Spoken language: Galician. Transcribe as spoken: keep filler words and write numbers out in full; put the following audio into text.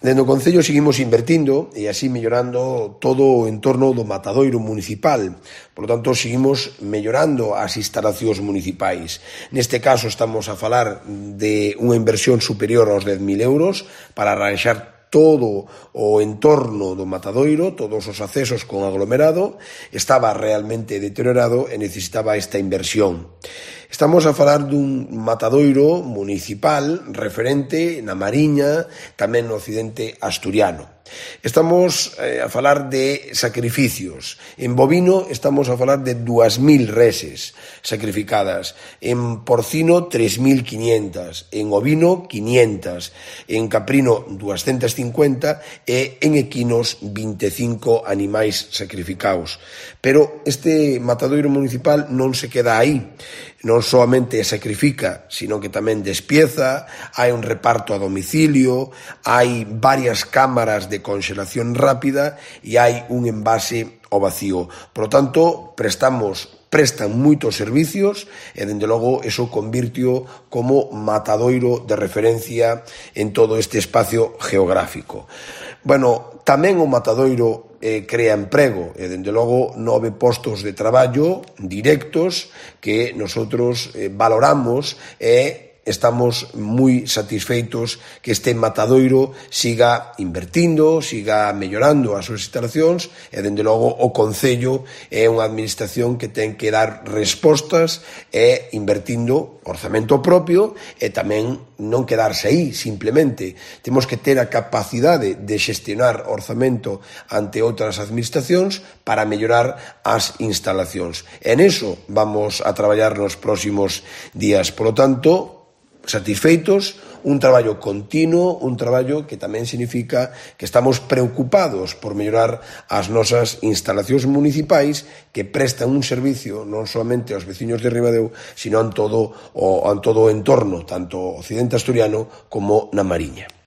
Dende o Concello seguimos invertindo e así mellorando todo o entorno do matadoiro municipal. Por lo tanto, seguimos mellorando as instalacións municipais. Neste caso, estamos a falar de unha inversión superior aos dez mil euros para arranxar todo o entorno do matadoiro, todos os accesos con aglomerado, estaba realmente deteriorado e necesitaba esta inversión. Estamos a falar dun matadoiro municipal referente na Mariña, tamén no occidente asturiano. Estamos eh, a falar de sacrificios. En bovino estamos a falar de dúas mil reses sacrificadas. En porcino, tres mil quinientas. En ovino, quinientas. En caprino, doscientas cincuenta. E en equinos, vinte e cinco animais sacrificados. Pero este matadoiro municipal non se queda aí. Non solamente sacrifica, sino que tamén despieza, hai un reparto a domicilio, hai varias cámaras de congelación rápida e hai un envase ao vacío. Por lo tanto, prestamos, prestan moitos servicios e, dende logo, eso convirtio como matadoiro de referencia en todo este espacio geográfico. Bueno, tamén o matadoiro eh, crea emprego e, dende logo, nove postos de traballo directos que nosotros eh, valoramos e estamos moi satisfeitos que este matadoiro siga invertindo, siga mellorando as súas instalacións e, dende logo, o Concello é unha administración que ten que dar respostas e invertindo orzamento propio e tamén non quedarse aí, simplemente. Temos que ter a capacidade de xestionar orzamento ante outras administracións para mellorar as instalacións. E neso vamos a traballar nos próximos días. Por lo tanto, satisfeitos, un traballo continuo, un traballo que tamén significa que estamos preocupados por mellorar as nosas instalacións municipais que prestan un servicio non solamente aos veciños de Ribadeo, sino en todo o, en todo o entorno, tanto occidente asturiano como na Mariña.